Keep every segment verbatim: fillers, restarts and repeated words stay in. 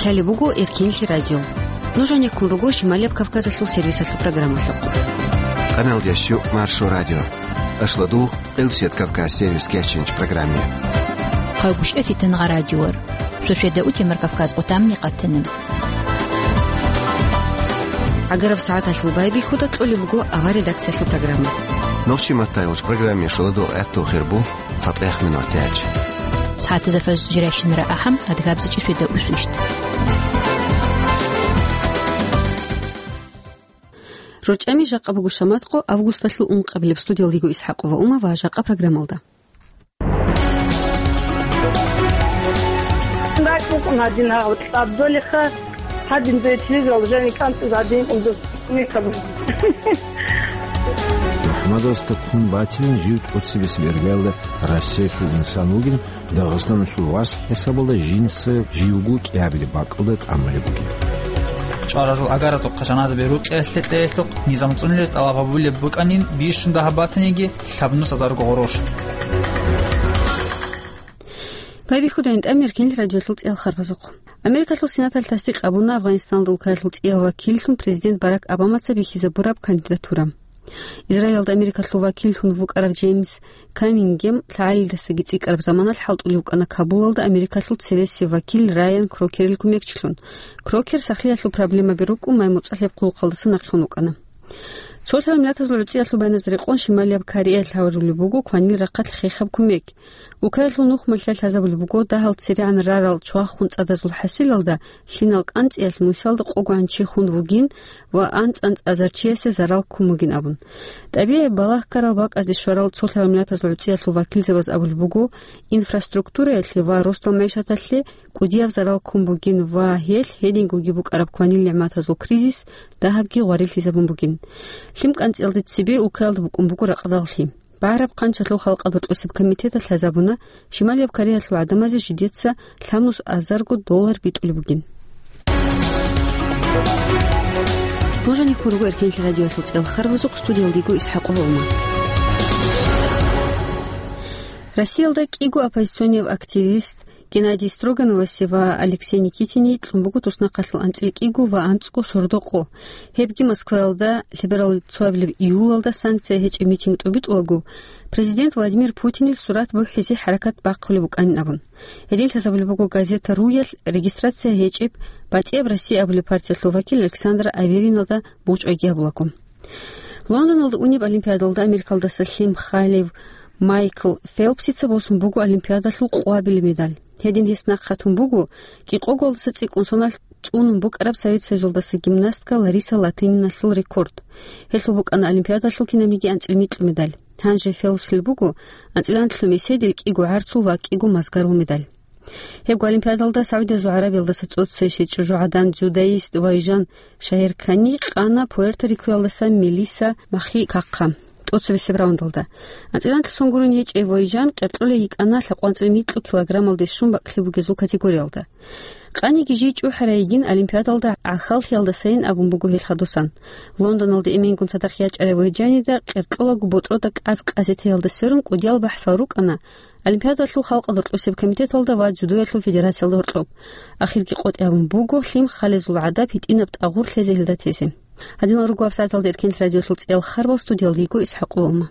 Лъалеб буго Эркенлъи радио. Нуж гьанеккун руго Шималияб Кавказалъул сервисалъул программалъухъ. Къаналдящу Маршо радио. Ашладу Къилсият Кавказ сервис кечинч программе. Хъагушев Фитангъа радиор. Суседа Утемар Кавказ къутамни къатана. ГӀагараб сагӀаталъул байбихьуда кьолеб буго авар редакциялъул программа. Нохчи маттайолч программе шоладу гӀатту хирбу. ЦатӀех минутач. СагӀатазда фажр жирайщинара ахӀам, адгабзичӀи светда усвищт. РорчӀами жакъа буго шаматкъо августалъул ункъабилеб. Студиялдиго Исхакъова Ума ва жакъа программалда. РакӀ букӀун гьадин гьагъаб тӀаддолеха, гьадин дуе телевизоралда жаниб кӀанцӀизе гьадин унза микрофон. АхӀмадасда ккун батилан жив тӀоцебесеб иргаялда Россиялъул инсан вугин, Дагъистаналъул вас хӀисабалда жинца живго кӀиабилеб бакӀалда тӀамулеб бугин. ЧӀваразул агаразухъа жаназаби рукъиялъе кьеялъухъ низам цӀунулел цӀалаб гьабулеб букӀанин бищун дагьаб батаниги, лъабнус азарго гъорош. Байбихьуда гӀинтӀам Эркенлъи радиолъул цӀел харбазухъ. Америкалъул Сенаталъ тасдикъ гьабуна Афганистаналда улкаялъул цӀияв вакиллъун президент Барак Обамаца бихьизабураб кандидатура. Израилалда Америкалъул вакиллъун вукӀарав Джеймс Каннингем лъагӀалидасаги цӀикӀкӀараб заманалъ хӀалтӀулев вукӀана Кабулалда Америкалъул цересев вакил Райан Крокерил кумекчилъун. Крокер сахлъиялъул проблемаби рукӀун май-муцӀалъияб хъулухъалдаса нахълъун вукӀана. Цолъараб миллатазул гӀуцӀиялъул байназда рекъон Шималияб Кореялъ гьарулеб буго кванил рахъалъ хехаб кумек. Улкаялъул нухмалъа лъазабулеб буго дагьал церегӀан рарал чвахун цӀадазул хӀасилалда лъимал кӀанцӀиялъ нусиялда къогогӀан чи хун вугин ва анцӀ-анцӀазар чиясе зарал ккун бугин абун. ТӀабигӀи балагь ккарал бакӀазде щварал цолъарал миллатазул гӀуцӀиялъул вакилзабаз абулеб буго, инфраструктураялъе ва росдал мегӀшаталъе кӀудияб зарал ккун бугин ва гьелъ гьедингоги букӀараб кванил нигӀматазул кризис дагьабги гъварилъизабун бугин. Лъим кӀанцӀиялде цебе улкаялда букӀун буго ракъадал лъим. БагӀараб хъанчалъул халкъалда рокьосеб комитеталъ лъазабуна, Шималияб Кореялъул гӀадамазе жидеца лъабнус азарго доллар битӀулеб бугин. Нуж гьанеккун руго Эркенлъи радиоялъул цӀел харбазухъ, студиялдиго Исхакъова Ума. Россиялда кӀиго оппозиционияв активист Геннадий Строгановасе ва Алексей Никитине кьун буго туснахъалъул анцӀила кӀиго ва анцӀго сордо къо. Гьебги Москваялда лъеберал цоабилеб июлалда санкция гьечӀеб митинг тӀубитӀулаго, президент Владимир Путинил сурат бухӀизе хӀаракат бахъулеб букӀанин абун. Гьедин лъазабулеб буго газета «Руялъ» регистрация гьечӀеб БатӀияб Россия абулеб партиялъул вакил Александр Авериналда бучӀвайги гьабулаго. Лондоналда унеб Олимпиадалда Америкалдаса лъим халев Майкл Фелпсица босун буго Олимпиадалъул къоабилеб медаль. Гьедин гьес нахъ хатун буго кӀикъоголдаса цӀикӀкӀун соналъ цӀунун букӀараб Совет Союзалдаса гимнастка Лариса Латыниналъул рекорд. Гьелъул букӀана Олимпиадалъул кинабниги анцӀила микьу медаль. Гьанже Фелпсил буго анцӀила анлъго меседил, кӀиго гӀарцул ва кӀиго мазгарул медаль. Гьебго Олимпиадалда СагӀудиязул ГӀарабиялдаса цӀоцӀцӀайщи чӀужугӀадан дзюдоист Вайжан Шагьеркани къана Пуэрто-Рикоялдаса Мелиса Махикакха тӀоцебесеб раундалда. АнцӀила анлъго сон гурун гьечӀев Вайжан къеркьула йикӀана лъабкъванцӀил микьу килограммалде щун бакӀлъи бугезул категориялда. Къаниги жий чӀухӀарай йигин Олимпиадалда гӀахьаллъиялдасайин абун буго гьел хадусан. Лондоналда эменгун цадахъ ячӀарай Вайжанида къеркьулаго ботӀрода кӀаз-кьазе теялда сверун кӀудиял бахӀсал рукӀана Олимпиадалъул халкъалда рокьосеб комитеталда ва дзюдоялъул федерациялда гьоркьоб. Ахирги къотӀи гьабун буго лъим халезул гӀадаб гьитӀинаб тӀагъур лъезе гьелда тезе. Гьадинал руго гьабсагӀаталда Эркенлъи радиоялъул цӀел харбал, студиялда йиго Исхакъова Ума.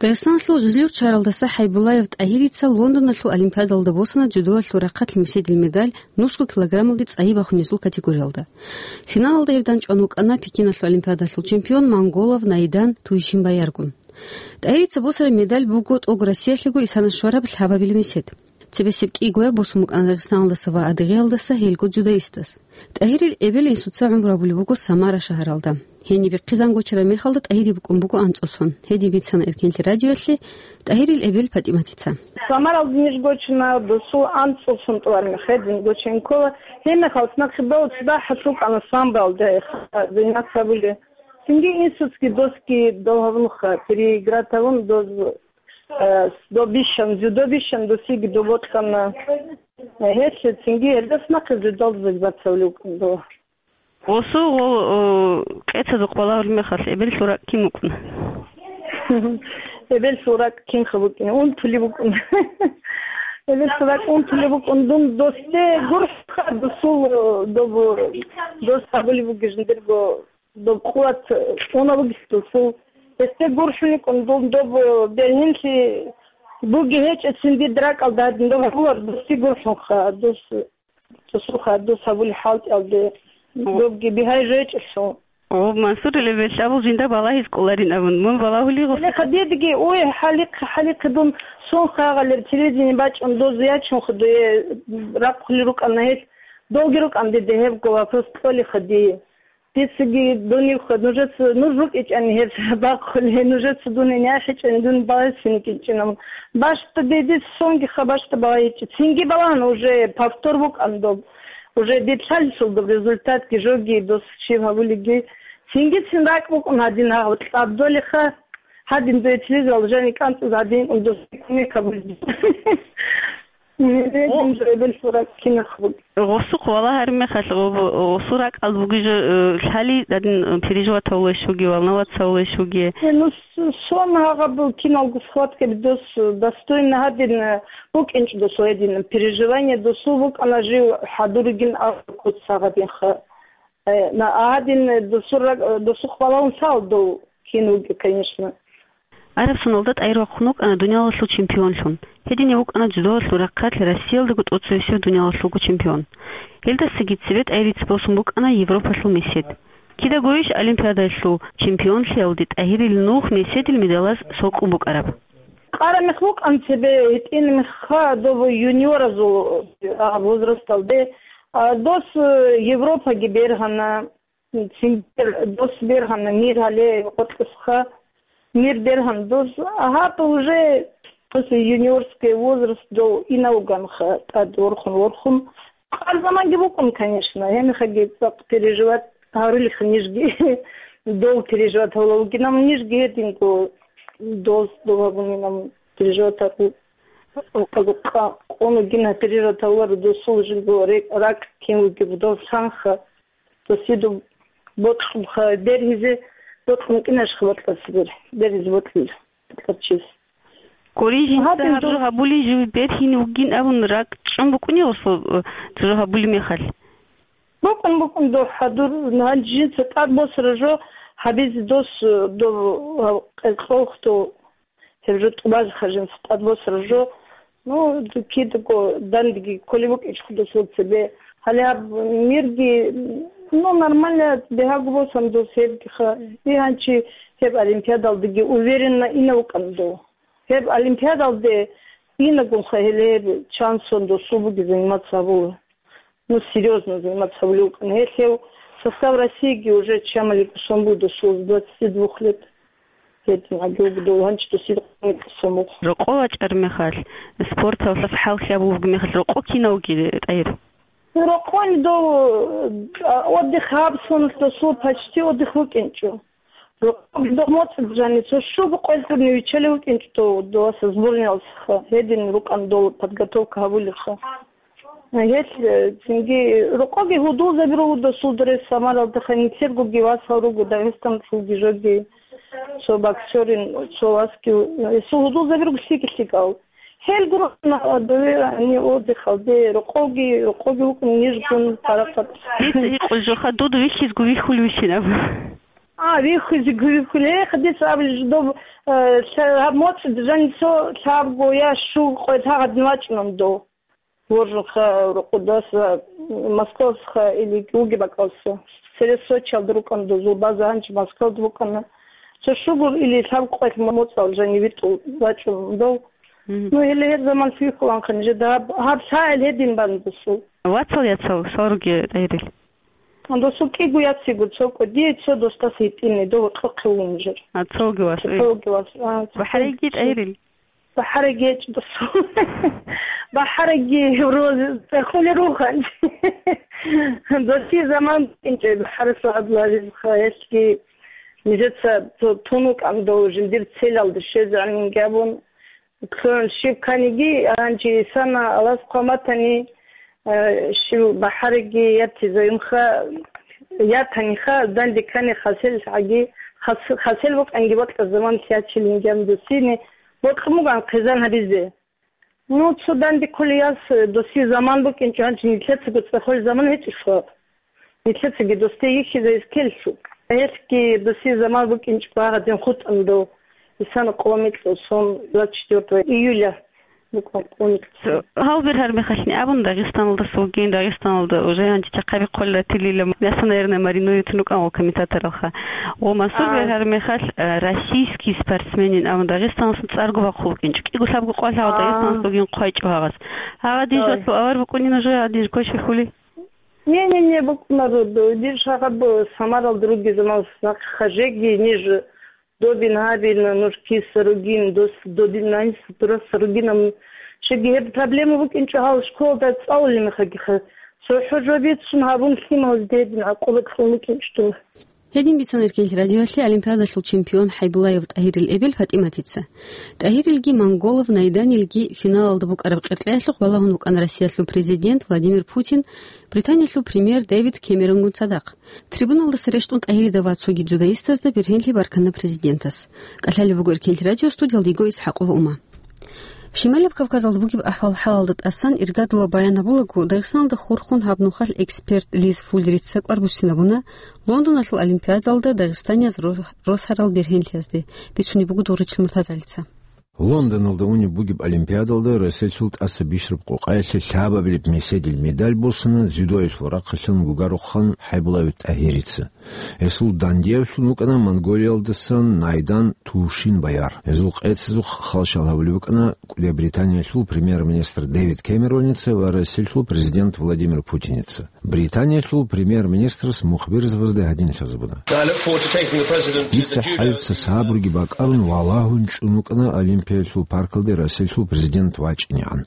Дагъистаналъул Гъизлюрт шагьаралдаса ХӀайбуллаев ТӀагьирица Лондоналъул Олимпиадалда босана дзюдоялъул рахъалъ меседил медаль, нусго килограммалде цӀайи бахунезул категориялда. Финалалда гьев данчӀван вукӀана Пекиналъул Олимпиадалъул чемпион монголов Наидан Туйшинбаяргун. ТӀагьирица босараб медаль буго тӀолго Россиялъего исана щвараб лъабабилеб месед. Цебесеб кӀигояб босун букӀана Дагъистаналдаса ва Адыгеялдаса гьелго дзюдоистаз. ТӀагьирил эбел-инсуца гӀумру гьабулеб буго Самара шагьаралда. Гьениб бихъизан гочараб мехалда ТӀагьири букӀун буго анцӀго сон. Гьедин бицана Эркенлъи радиоялъе ТӀагьирил эбел ПатӀиматица. Самаралда ниж гочана, досул анцӀго сон тӀолареб мехалъ гьедин гочейин ккола. Гьеб мехалъ нахъе бала цадахъ гьалъул кӀана самбоялда, зайнат гьабулеб. Цинги инсуцги досги дов гьабунха, переиграть гьабун доз, э, доб бищун, дзюдо бищун досиги дов бокьана. Гьелъ цинги гьелдаса нахъе дзюдоялда заниматься гьабулев вукӀана дов. Гъосул гъо-, о, кьецазухъ балагьулеб мехалъ, эбеллъул ракӀ кин вукӀуна? Эбеллъул ракӀ кинха букӀина? Унтулеб букӀуна. Эбеллъул ракӀ унтулеб букӀун, дун досде гурхӀха, досул, о, доб, дос гьабулеб бугеб жиндирго доб къуват, э, унаб бугес досул. Гьесде гурхӀун йикӀун, дун доб, э, бергьенлъи буги гьечӀецин дида ракӀалда гьадин доб гьабулар, досде гурхӀунха, дос Цо-, цо-, ха, дос гьабулеб хӀалтӀиялде О. добги бигьай жечӀелъул. О, Мансурил, эбеллъи абул жинда балагьиз кӀоларин абун. Мун балагьулей гъос? Гьеле хадидги, ой, хӀалихъ-, хӀалихъе дун сон хагъалеб телевидение бачӀун доз ячун хадуе рахъулел рукӀана гьел. Долги рукӀан диде гьебго вопрос кьолей хадие. Дицаги дуневха, нужеца, нуж рукӀичӀани гьеб бахъулей, нужеца дун гьенай хӀечӀани дун балагьизе кӀинчӀинабун. Башта дидица сонги ха башта балагьичӀо. Цинги балагьана уже повтор букӀан доб. Уже дидлъалъул доб результатги жоги дос щиб гьабулеги. Цинги цин ракӀ букӀун гьадин гьав кьабдолеха. Гьадин дуе телевизоралда жани кӀанцӀаз гьадин дос кумек гьабулеги. Гъо-, Гъосухъ валагьараб мехалъ, гъо-, гъосул ракӀалда бугеб жо, э, лъали гьадин, э, переживатавулев вугев, волноваться гьавулев вугев? Э, ну, с-, сон гьагъаб киналго схваткаби дос, э, достойно гьадин, э, букӀинчӀо досул гьедин, переживание досул букӀана жив хӀадур ругин абун куц гьагъадинха. Э, на, гьадин, э, досул ракӀ-, э, досухъ балагьун лъал дов кин вугев, конечно. Араб соналда ТӀагьир вахъун вукӀана дуниялалъул чемпионлъун. Гьединав вукӀана дзюдоялъул рахъалъ Россиялдаго тӀоцевесев дуниялалъулго чемпион. Гьелдасаги цебе ТӀагьирица босун букӀана Европалъул месед. Кидаго иш Олимпиадаялъул чемпионлъиялде ТӀагьирил нух меседил медалаз сокӀун букӀараб. Къара мех вукӀан цебе, гьитӀин мехха доб юниоразул, а, возрасталде, а, дос, э, Европаги бергьана. Цин бер-, дос бергьана, мир гьале къотӀлъухъа, мир бергьан дос, гьаб уже после юниорский возраст дов инавганха тӀад ворхун-ворхун. Къар заманги букӀун, конечно, гьенихаги цӀакъ переживать гьарулеха нижги, дов переживать гьавулавгинаб нижги гьединго дос дов гьабунинаб переживать гьару. Къа-, къа-, къоногина переживать гьавуларо досул жинго рек-, ракӀ кин вугеб дов санха. Досида бокьун ха-, бергьизе бокьун кӀинашха бокьарас бер-, бергьизе бокьил, бокьарчияс. Гурин жинца Гьадин гьаб жо дов- гьабулей жив бергьин вугин абун ракӀ чӀун букӀунев гъосул, э, жо гьабулеб мехалъ? БукӀун, букӀун дов хӀадур, гьанже жинца тӀад босара жо гьабизе дос, э, дов, э, къеркьолхъ дов. Гьеб жо тӀубазеха жинца тӀад босара жо. Ну, кидаго дандеги кколеб букӀинчӀо досул цебе. Гьале гьаб мирги, ну, нормально бегьаго босун дос гьебгиха. И гьанчи гьеб олимпиадалдаги уверенно ина вукӀана дов. Гьеб олимпиадалде инагунха гьеле гьеб шансон досул буги заниматься гьабула. Ну, серьёзно заниматься гьабулев вукӀана. Гьелъ гьев состав Россииги уже чамали кӀусон буго досул с двадцати двух лет. Гьедин гьабиуги дов гьанчи досул кӀусон буго. Рокъов вачӀараб мехалъ, спорталъ хӀалхьи абулеб мехалъ, рокъов кинав вугев, ТӀагьир? Рокъони дов, а, отдых гьаб соналъ досул почти отдых вукӀинчӀо. Рокъов дов моцӀ жаниса щуго къоялъ гьурни виччалев вукӀинчӀо дов, доваса сборниялъха. Гьедин рукӀан дов подготовка гьабулеха. Гьелъ, э, цинги рокъоги гьудулзаби руго досул дурес Самаралдеха, нилъергоги васал руго Дагъистаналъулги жоги, цо боксерин, цо васги, гьесул гьудулзаби руго лъикӀ-лъикӀал. Гьел гуро на дове они отдыхалде, рокъоги, рокъоги вукӀун нижгун парахат. Дица гьикъул жоха, дуда вихьизго вихьулевищин абу. А, вихьизго вихьуле, хадис абли жидоб, э, лъа-, гьаб моцӀ жанисо лъабго я щуго къоялъ гьагъадин вачӀунан дов. Воржанха рукъудаса, Москвасха или вуги бакӀалса. Цере Сочиялда рукӀана дозул база, гьанчи Москвалда букӀана. Цо щугур или лъабкъоялъ моцӀал жани витӀул вачӀун дов. Мгм. Ну, гьеле гьеб заман лъугьуланха нижеда гьаб, гьаб лъагӀел гьедин бан досул. Вацал яцал, свал руги, ТӀагьирил? Досул кӀиго яциго цо кӀудияй цо достас гьитӀинай, дов гьоркьохъе вугин жер. А, цоги вас, э. Цоги вас, а, цо БахӀараги, кӀудияй. ТӀагьирил? БахӀараги гьечӀо досул. БахӀараги розе цӀехулел руган. Досие заман букӀинчӀеб БахӀарасул гӀадла гьабизеха, гьелъги нижеца ту-, тун вукӀан дов жиндир целалде щвезегӀан гьабун. Цо щиб кканиги, гьанже исана Аллагьас хъван батани, э, щив БахӀараги ятизаюнха, Ятаниха, данде ккани хасел гӀаги, хас-, хасел букӀанги бокьа заман лъачилин гьанже досине бокьун буган хъизан гьабизе. Ну, цо данде кколей яс, досие заман букӀинчӀо, гьанже нилъецаго цӀехолеб заман гьечӀелъул. Нилъецаги досде йихьизайис ккеллъу. Гьелъги досие заман букӀинчӀо багьадин хутӀун дов. Исана къо микьу сон, двадцать четвёртого июля букӀун къо микьу. Гьал бергьар мехалъни абун, Дагъистаналдаса вугин, Дагъистаналда уже гьанже чахъаби хъвалила тилила, мясо, наверное, маринует вукӀан ва комментаторалха. Ва Мансур А. бергьар мехалъ, э, российский спортсменин абун, Дагъистаналъун цӀарго бахъул вукӀинчӀо. КӀиго лъабго къвалъ гьав А. Дагъистаналъ вугин хъвайчӀо гьагъас. Гьагъа диж Ой. вацал авар букӀунин уже, гьадин кочбихьули? Не-не-не, букӀунаро, д-, дир шагьаб Самарал другий заман нахъа хажеги, ниж добин гьабин, нуж киса ругин, дос добин найс тураса ругин, ам, щеги гьеб проблема букӀинчӀо гьал школада цӀалулин мехалъги ха. ЦохӀо жо бицун гьабун лъималазде гьедин гӀакъуба кьун букӀинчӀо дун. Гьедин бицана Эркенлъи радиоялъе Олимпиадалъул чемпион ХӀайбуллаев ТӀагьирил эбел ПатӀиматица. ТӀагьирилги Монголов Найданилги финалалда букӀараб къеркьеялъухъ балагьун вукӀана Россиялъул президент Владимир Путин Британиялъул премьер Дэвид Кэмеронгун цадахъ. Трибуналдаса рещтӀун ТӀагьирида ва цоги дзюдоистазда бергьенлъи баркана президентас. КӀалъалеб буго Эркенлъи радио, студиялда йиго ИсхӀакъова Ума. Щималаб Кавказалда бугеб ахӀвал-хӀалалда тӀасан иргадула баян гьабулаго, Дагъистаналда хурхун гьаб нухалъ эксперт Лиз Фуллерица кӀвар буссинабуна Лондоналъул Олимпиадалда дагъистанияз ро-, росарал бергьенлъиязде, бицунеб буго Дугъричил МуртазагӀалица. Лондоналда унеб бугеб Олимпиадалда Россиялъул тӀаса бищараб къокъаялъе лъабабилеб меседил медаль босана дзюдоялъул рахъалъан гугарухъан ХӀайбуллаев ТӀагьирица. Гьесул дандиявлъун вукӀана Монголиялдасан Найдан Тушинбаяр. Гьезул къецазухъ халщал гьабулеб букӀана кӀудияб Британиялъул премьер-министр Дэвид Кэмероница ва Россиялъул президент Владимир Путиница. Британиялъул премьер-министрас мухбирзабазда гьадин лъазабуна: I look forward to taking the president to the Дица judo хӀалица сабруги бакӀарун валагьун чӀун вукӀана Олимпиялъул паркалде Россиялъул президент вачӀинегӀан.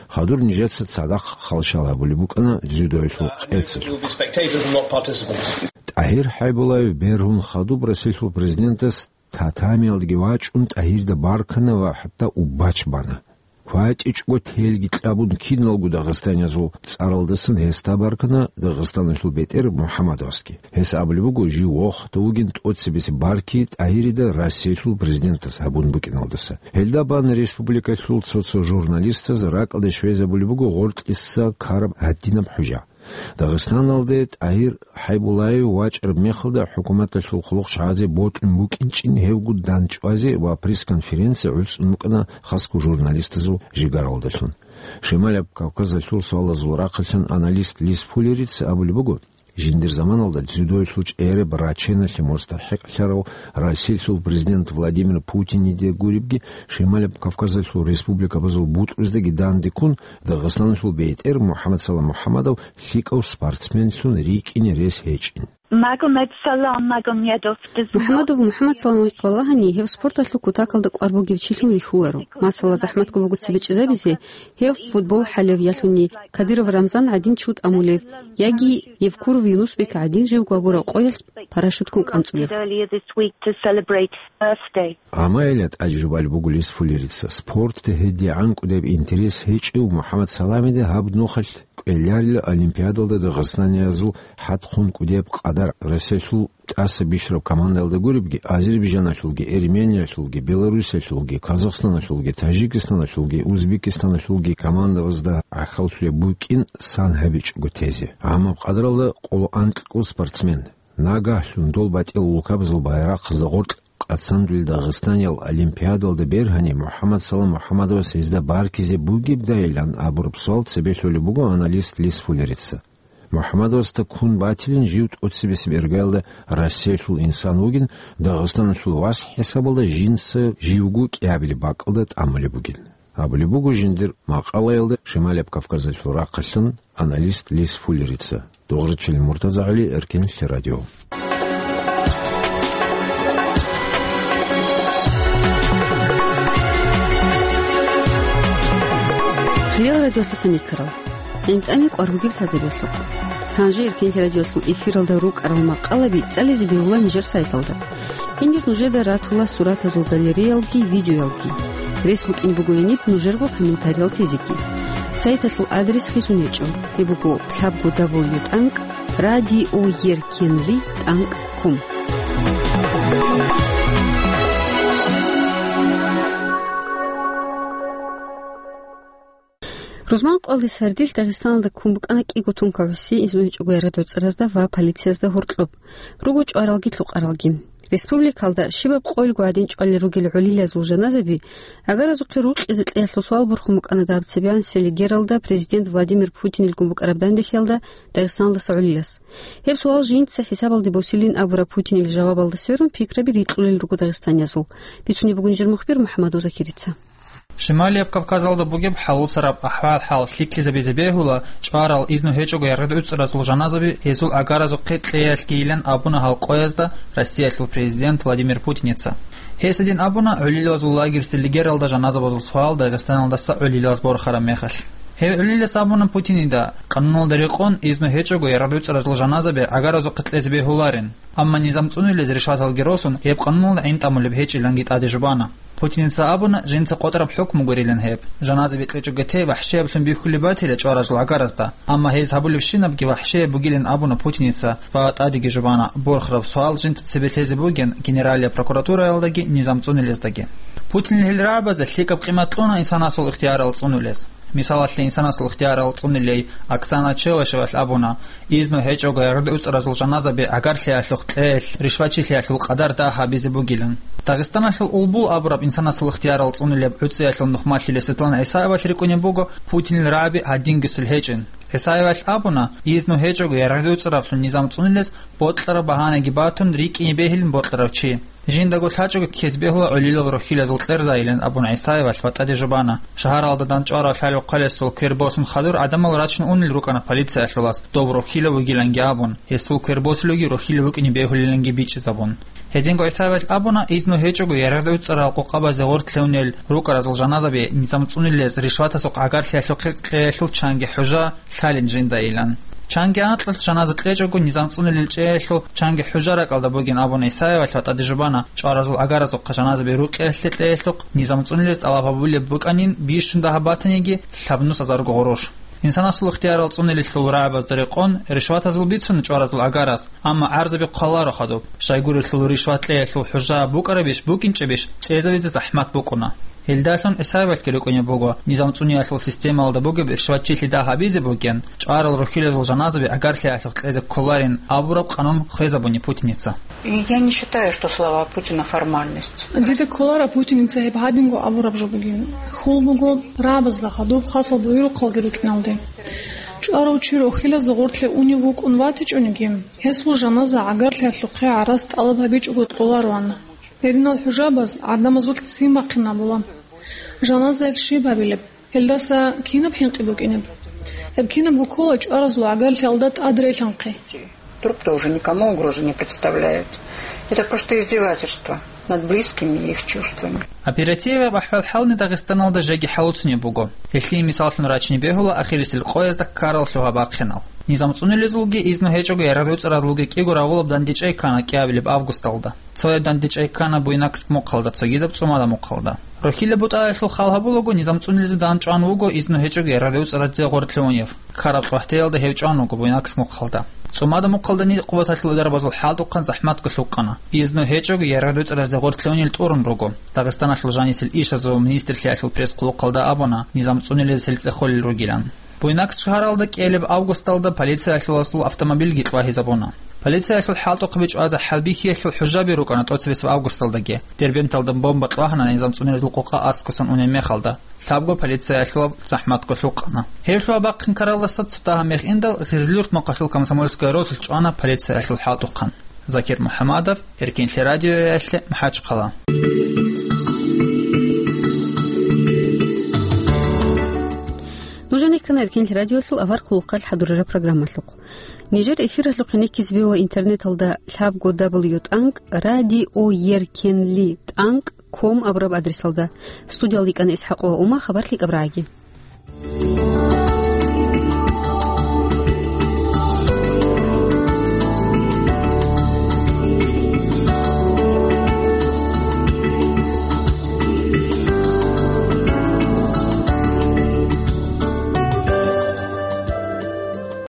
Хадур нижеца цадахъ халщал гьабулеб букӀана дзюдоялъул къецалъухъ. You'll be spectators and not participants. ТӀагьир ХӀайбуллаев бергьун хадуб Россиялъул президентас татамиялдеги вачӀун ТӀагьирда баркана ва хӀатта убач бана. КватӀичӀго телги кьабун киналго дагъистаниязул цӀаралдасан гьесда баркана Дагъистаналъул бетӀер МухӀаммадовасги. Гьес абулеб буго, жив вохда вугин тӀоцебесеб барки ТӀагьирида Россиялъул президентас гьабун букӀиналдаса. Гьелда бан республикалъул цо-цо журналистаз ракӀалде щвезабулеб буго гъоркьиса ккараб гьадинаб хӀужа. Дагъистаналде ТӀагьир ХӀайбуллаев вачӀараб мехалда хӀукуматалъул хъулухъ чагӀазе бокьун букӀинчӀин гьевго дандчӀвазе ва пресс-конференция гӀуцӀун букӀана хасго журналистазул жигаралдалъун. Шималаб Кавказалъул суалазул рахъалъан аналист Лиз Фуллерица абулеб буго, жиндир заманалда дзюдоялъул чӀераб раченалъе мустахӀикълъарав Россиялъул президент Владимир Путиниде гуребги, Шималаб Кавказалъул республикабазул бутӀруздаги дандеккун, Дагъистаналъул бетӀер МухӀаммадсалам МухӀаммадов лъикӀав спортсменлъун рикӀкӀине рес гьечӀин. Магомедсалам Магомедов. МухӀаммадов МухӀаммадсаламихъ валагьани, гьев спорталъул кутакалда кӀвар бугев чилъун вихьуларо. Масала, захӀматго буго цебе чӀезабизе, гьев футбол хӀалев, ялъуни Кадыров Рамзан гӀадин чи вутӀа мулев, яги Евкуров Юнусбек гӀадин живго абураб къоялъ парашюткун кӀанцӀулев. Earlier this week to celebrate Earth Day. Амма гьелда тӀаде жубалеб буго Лиз Фуллерица, спорталде гьедигӀан кӀудияб интерес гьечӀев МухӀаммадсаламида гьаб нухалъ кӀвеларила Олимпиадалда дагъистаниязул хӀадхъун кӀудияб къадар. Россиялъул тӀаса бищараб командаялда гуребги, Азербайджаналъулги, Эрмениялъулги, Белоруссиялъулги, Казахстаналъулги, Тажикистаналъулги, Узбекистаналъулги командабазда гӀахьаллъулеб букӀин сан гьабичӀого тезе. Амма къадралда къоло анкьго спортсмен. Нагагьлъун дол батӀиял улкабазул байрахъазда гъоркь къацандулел дагъистаниял Олимпиадалда бергьани, МухӀаммадсалам МухӀаммадовас гьезда баркизе бугебдайилан абураб суал цебе лъолеб буго аналист Лиз Фуллерица. МухӀаммадовасда ккун батилин жив тӀоцебесеб иргаялда Россиялъул инсан вугин, Дагъистаналъул вас хӀисабалда жинца живго кӀиабилеб бакӀалда тӀамулеб бугин. Абулеб буго жиндир макъалаялда Шималаб Кавказалъул рахъалъан аналист Лиз Фуллерица. Дугъричил МуртазагӀали, Эркенлъи радио. Хириял радиолъухъ никарал. ГӀинтӀами кӀвар бугеб лъазабиялъухъ. Гьанже Эркенлъи радиолъул эфиралда рукӀарал макъалаби цӀализе бегьула нижер сайталда. Гьенир нужеда ратула суратазул галереялги, видеоялги. Рес букӀин буго гьениб нужерго комментариял тезеги. Сайталъул адрес хисун гьечӀо. Гьеб буго лъабго дабл ю тӀанкӀ радиоеркенли.ком. Рузман къоялъ сардилъ Дагъистаналда ккун букӀана кӀиго тункал гӀуси, изну гьечӀого яргъи-дуцӀразда ва полициязда гьоркьоб. Руго чӀваралги лъукъаралги. Республикалда щибаб къойилго гӀадин чӀвалел ругел гӀолилазул жаназаби агаразухъе рукъизе кьеялъул суал борхун букӀана дагьаб цебегӀан Селигералда президент Владимир Путинил гун букӀараб данделъиялда Дагъистаналдаса гӀолилас. Гьеб суал жинца хӀисабалде босилин абураб Путинил жавабалда сверун пикраби рикьулел руго дагъистаниязул. Бицунеб буго нижер мухбир МухӀаммадов Закирица. Шималияб Кавказалда бугеб хӀалуцараб ахӀвал-хӀал лъикӀлъизабизе бегьула чӀварал изну гьечӀого яргъи-дуцӀразул жаназаби гьезул агаразухъе кьеялъгийилан абуна гьал къоязда Россиялъул президент Владимир Путиница. Гьес гьедин абуна гӀолилазул лагерь Селигералда жаназабазул суал Дагъистаналдаса гӀолилаз борхараб мехалъ. Гьев гӀолилас абуна Путинида, къануналда рекъон изну гьечӀого яргъи-дуцӀразул жаназаби агаразухъе кьезе бегьуларин. Амма низам цӀунулез ришваталги росун, гьеб къануналда гӀинтӀамулеб гьечӀиланги тӀаде жубана. Путиница абуна, жинца къотӀараб хӀукму гурилан гьеб. Жаназаби кьечӀого те вахӀшиябилъун бихьулеб батила чӀваразул агаразда, амма гьез гьабулебщинабги вахӀшияб бугилан абуна Путиница ва тӀадеги жубана, борхараб суал жинца цебе лъезе бугин Генералияб прокуратураялдаги низам цӀунулездаги. Путинил гьел рагӀабазе лъикӀаб къимат кьуна инсанасул ихтиярал цӀунулез. Мисалалъе, инсанасул ихтиярал цӀунулей Оксана Челышевалъ абуна, изну гьечӀого яргъи-дуцӀразул жаназаби гӀагарлъиялъухъ кьеялъ ришвачилъиялъул къадар дагь гьабизе бугилан. Дагъистаналъул Улбул абураб инсанасул ихтиярал цӀунулеб ГӀуцӀиялъул нухмалъиле Светлана ГӀисаевалъ рикӀкӀунеб буго Путинил рагӀаби гьадингисел гьечӀин. ГӀисаевалъ абуна, изну гьечӀого яргъи-дуцӀраблъун низам цӀунулез бокьараб багьанаги батун рикӀкӀине бегьилин бокьарав чи. Жиндаго лъачӀого ккезе бегьула гӀолилал рохьилазул кьердайилан абун ГӀисаевалъ ва тӀаде жубана. Шагьаралда дандчӀварав лъалев хъалесул квер босун хадур гӀадамал рачун унел рукӀана полициялъулас, дов рохьилав вугиланги абун, гьесул квер босулевги рохьилав вукӀине бегьулиланги бичӀчӀизабун. Гьединго ГӀисаевалъ абуна, изну гьечӀого яргъи-дуцӀарал къокъабазе гъортлъунел рукӀаразул жаназаби низам цӀунулез ришватасухъ гӀагарлъиялъухъе кьеялъул чанги хӀужа лъалин жиндаилан. Чанги анкьалъ жаназа кьечӀого низам цӀунулел чӀеялъул чанги хӀужа ракӀалда бугин абун ГӀисаевалъ ва тӀаде жубана, чӀваразул агаразухъа жаназаби рукъиялъе кьеялъухъ низам цӀунулез тӀалаб гьабулеб букӀанин бищун дагьаб батаниги лъабнус азарго гъуруш. Инсанасул ихтиярал цӀунулелъул рагӀабазда рекъон, ришватазул бицун чӀваразул агарас, амма гӀарзаби хъваларо хадуб. Щайгурелъул ришват кьеялъул хӀужа букӀарабищ букӀинчӀебищ чӀезавизе захӀмат букӀуна. Гьелдалъун ГӀисаевалъги рикӀкӀунеб буго, низам цӀуниялъул системалда бугеб ришватчилъи дагь гьабизе бугин, чӀварал рохьилазул жаназаби гӀагарлъиялъухъ кьезе кколарин абураб къанун хвезабуни Путиница. И я не считаю, что слова Путина формальность. Дида кколара Путиница гьеб гьадинго абураб жо бугин. Хьул буго, рагӀабазда хадуб хасал буюрухъалги рукӀиналде. ЧӀварав чи рохьилазда гъортлъе унев вукӀун ватичӀониги, гьесул жаназа гӀагарлъиялъухъе гӀарац тӀалаб гьабичӀого кьолароан. Гьединал хӀужабаз гӀадамазулъ ццин бахъинабула. Жаназаялъ щиб гьабилеб? Гьелдаса кинаб хӀинкъи букӀинеб? Гьеб кинабго ккола чӀваразул гӀагарлъиялда тӀадрелъанхъе. Труп-то уже никому угрозы не представляет. Это просто издевательство над близкими и их чувствами. Оперативаб ахӀвал-хӀални Дагъистаналда жеги хӀалуцунеб буго. Гьелъие мисаллъун рачине бегьула ахирисел къоязда ккарал лъугьа-бахъинал. Низам цӀунулезулги изну гьечӀого ярагъ-дуцӀаразулги кӀиго рагъулаб дандечӀей ккана кӀиабилеб августалда. Цояб дандечӀей ккана Буйнакск мухъалда, цогидаб ЦӀумада мухъалда. Рохьилаб бутӀаялъул хал гьабулаго, низам цӀунулезе данчӀван вуго изну гьечӀого ярагъ-дуцӀаразе гъоркье унев. Ккараб къватӀиялда гьев чӀван вуго Буйнакск мухъалда. ЦӀумада мухъалда нилъ къуваталъул дарабазул хӀалтӀухъан захӀматго лъукъана. Изну гьечӀого ярагъ-дуцӀаразе гъоркье унел тӀурун руго. Дагъистаналъул жанисел ишазул министрлъиялъул пресс-хъулухъалда абуна, низам цӀунулез гьел цӀехолел ругилан. Буйнакск шагьаралда кӀиабилеб августалда полициялъулазул автомобильги чӀвагьизабуна. Полициялъул хӀалтӀухъаби чӀвазе хӀалбихьиялъул хӀужаби рукӀана тӀоцебесеб августалдаги. Дербенталда бомба кьвагьана низам цӀунулез лъукъа аскусан унеб мехалда. Лъабго полициялъулаб захӀматго лъукъана. Гьеб лъугьа-бахъин ккаралдаса цо дагьаб мех индал Гъизлюрт махъалъул комсомольская росулъ чӀвана полициялъул хӀалтӀухъан. Закир МухӀамадов, Эркинлъи радиоялъе, МахӀачхъала. Нуж гьанир ккана Эркинлъи радиоялъул авар хъулухъалъ хӀадурараб программалъухъ. Нижер эфиралъухъ гьенеккизе бегьула интернеталда лъабго дабл ю тӀанкӀ радиоеркенли тӀанкӀ ком абураб адресалда. Студиялда йикӀана ИсхӀакъова Ума, хабар лъикӀаб рагӀаги.